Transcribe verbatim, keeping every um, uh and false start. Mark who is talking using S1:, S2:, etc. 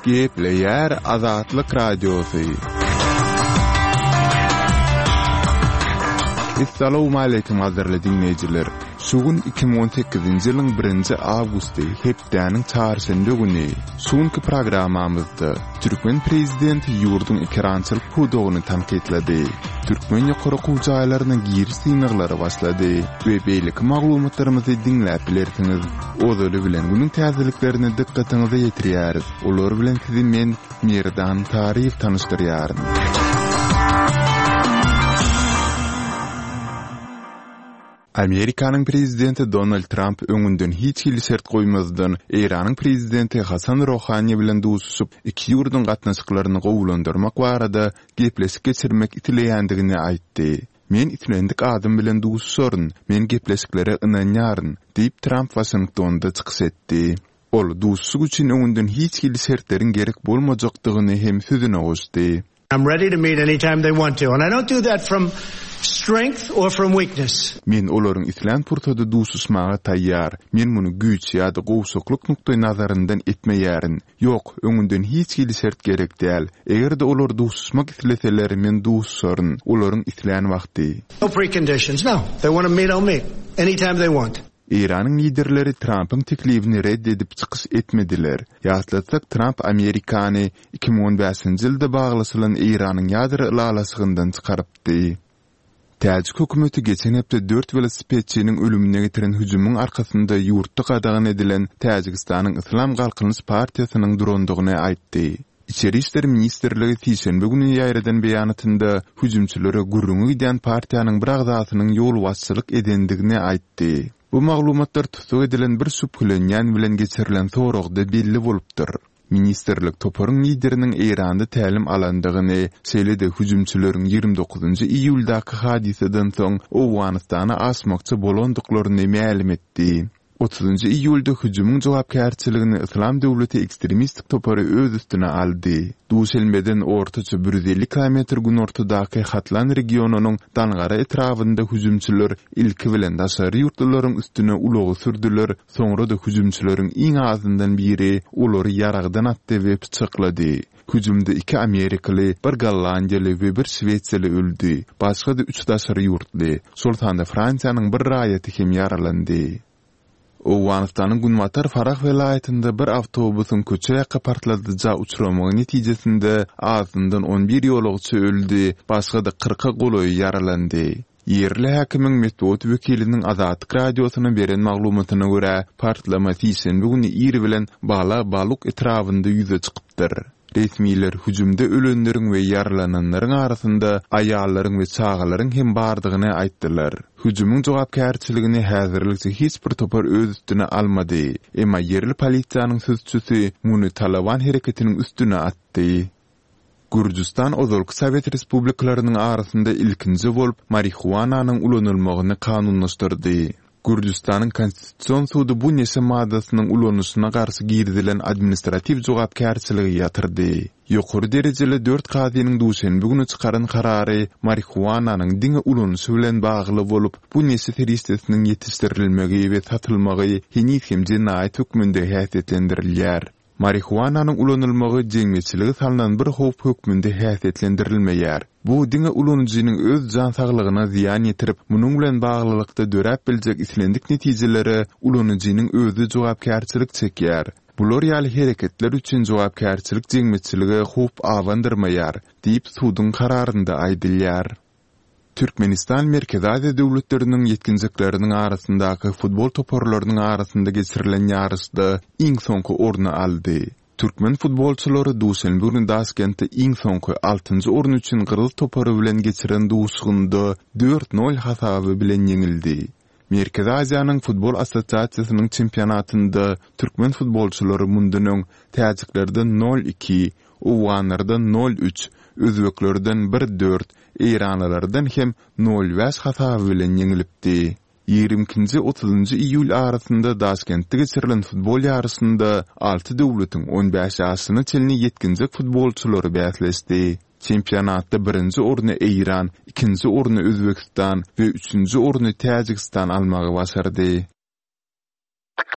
S1: Gepleýär Azatlyk Radiosy. Essalawmaleýkim gadyrly diňleýjiler! Şu gün iki müň on sekizinji ýylyň birinji awgusty, hepdäniň çarşenbe güni. Şu günki programmamyzda türkmen prezidenti ýurduň ekerançylyk pudagyny tankytlady. Türkmen ýokary okuw jaýlaryna giriş synaglary başlady we beýleki maglumatlarymyzy diňläp bilersiňiz. Ozaly bilen günüň täzeliklerini dykgatyňyza ýetirýäris. Olar bilen sizi men, Merdan Taryýew tanyşdyrýaryn. Amerikanyň prezidenti Donald Tramp öňünden hiç hili şert goýmazdan, Eýranyň prezidenti Hasan Rohani bilen duşuşyp, iki ýurduň gatnaşyklaryny gowulandyrmak barada gepleşik geçirmek isleýändigini aýtdy. Men islendik adam bilen duşuşaryn, men gepleşiklere ynanýaryn, diýip, Tramp Waşingtonda çykyş etdi. Ol duşuşyk üçin öňünden hiç hili şertleriň gerek bolmajakdygyny hem sözüne goşdy.
S2: I'm ready to meet anytime they want to and I don't do that from strength or from weakness.
S1: Men olaryň islän pursady duşuşmaga taýýar. Men muny güýç ýa-da gowşaklyk nukdaýnazaryndan etmeýärin. Ýok, öňünden hiç hili şert gerek däl. Eger-de olar duşuşmak isleseler, men duşuşaryn. Olaryň islän wagty.
S2: No preconditions, no. If they want to meet, I'll meet. Anytime they want.
S1: Eýranyň liderleri Trampyň teklibini red edip çykyş etmediler. Ýatlatsak, Tramp Amerikany iki müň on bäşinji ýylda baglaşylan Eýranyň ýadro ylalaşygyndan çykarypdy. Täjik hökümeti geçen hepde dört welosipedçiniň ölümine getiren hüjümiň arkasynda ýurtda gadagan edilen Täjigistanyň Yslam Galkynyş partiýasynyň durandygyny aýtdy. Içeri işler ministrligi sişenbe güni ýaýradan beýanatynda hüjümçilere gürrüňi gidýän partiýanyň bir agzasynyň ýolbaşçylyk edendigini aýtdy. Bu maglumatlar tussag edilen bir şübhelenýän bilen geçirilen soragda belli bolupdyr. Ministrlik toparyň lideriniň Eýranda tälim alandygyny, şeýle-de hüjümçileriň ýigrimi dokuzynjy iýuldaky hadysadan soň Owganystana aşmakçy bolandyklaryny mälim etdi. Otuzynjy iýulda hüjümiň jogapkärçiligini Yslam döwleti ekstremistik topary öz üstüne aldy. Duşenbeden ortaça bir ýüz elli kilometr günortadaky Hatlan regionynyň Dangara etrabynda hüjümçiler ilki bilen daşary ýurtlularyň üstüne ulagy sürdüler, soňra-da hüjümçileriň iň azyndan biri olary ýaragdan atdy we pyçaklady. Hüjümde iki amerikaly, bir gollandiýaly we bir şwesiýaly öldi, başga-da üç daşary ýurtly, şol sanda Fransiýanyň bir raýaty hem ýaralandy. Owganystanyň günbatar Farah welaýatynda bir awtobusyň köçe ýaka partladyja uçramagy netijesinde azyndan on bir ýolagçy öldi, başga-da kyrka golaýy ýaralandy. Ýerli häkimiň metbugat wekiliniň Azatlyk Radiosyna beren maglumatyna görä, partlama sişenbe güni ir bilen Bala Baluk etrabynda ýüze çykypdyr. Resmiler hüjümde ölenleriň we ýaralananlaryň arasynda aýallaryň we çagalaryň hem bardygyny aýtdylar. Hüjümiň jogapkärçiligini häzirlikçe hiç bir topar öz üstüne almady, emma ýerli polisiýanyň sözçüsi muny Talaban hereketiniň üstüne atdy. Gürjüstan ozalky sowet respublikalarynyň arasynda ilkinji bolup marihuananyň ulanylmagyny kanunlaşdyrdy. Gürjüstanyň Konstitusion sudy bu neşe maddasynyň ulanyşyna garşy girizilen administratiw jogapkärçiligi ýatyrdy. Ýokary derejeli dört kazynyň duşenbe güni çykaran karary marihuananyň diňe ulanyşy bilen bagly bolup, bu neşe serişdesiniň ýetişdirilmegi we satylmagy heniz hem jenaýat hökmünde häsiýetlendirilýär. Marihuananyň ulanylmagy jemgyýetçilige salnan bir howp hökmünde häsiýetlendirilmeýär. Bu diňe ulanyjynyň öz jan saglygyna zyýan ýetirip, munuň bilen baglylykda döräp biljek islendik netijelere ulanyjynyň özi jogapkärçilik çekýär. Bular ýaly hereketler üçin jogapkärçilik jemgyýetçilige howp abandyrmaýar, diýip suduň kararynda aýdylýar. Türkmenistan Merkezi Aziýa döwletleriniň ýetginjekleriniň arasyndaky futbol toparlarynyň arasynda geçirilen ýaryşda iň soňky orny aldy. Türkmen futbolçylary duşenbe güni Daşkentde iň soňky altynjy orun üçin gyrgyz topary bilen geçiren duşuşygynda dört nol hasaby bilen ýeňildi. Merkezi Aziýanyň futbol assosiasiýasynyň çempionatynda türkmen futbolçylary mundan öň täjiklerden nol iki, owganlardan nol üç, özbeklerden bir dört, eýranlylardan hem nol bäş hasaby bilen ýeňilipdi. Ýigrimi ikinji otuzynjy iýul arasynda Daşkentde geçirilen futbol ýaryşynda alty döwletiň on bäş ýaşyna çenli ýetginjek futbolçylary bäsleşdi. Çempionatda birinji orny Eýran, ikinji orny Özbegistan we üçünji orny Täjigistan almagy başardy.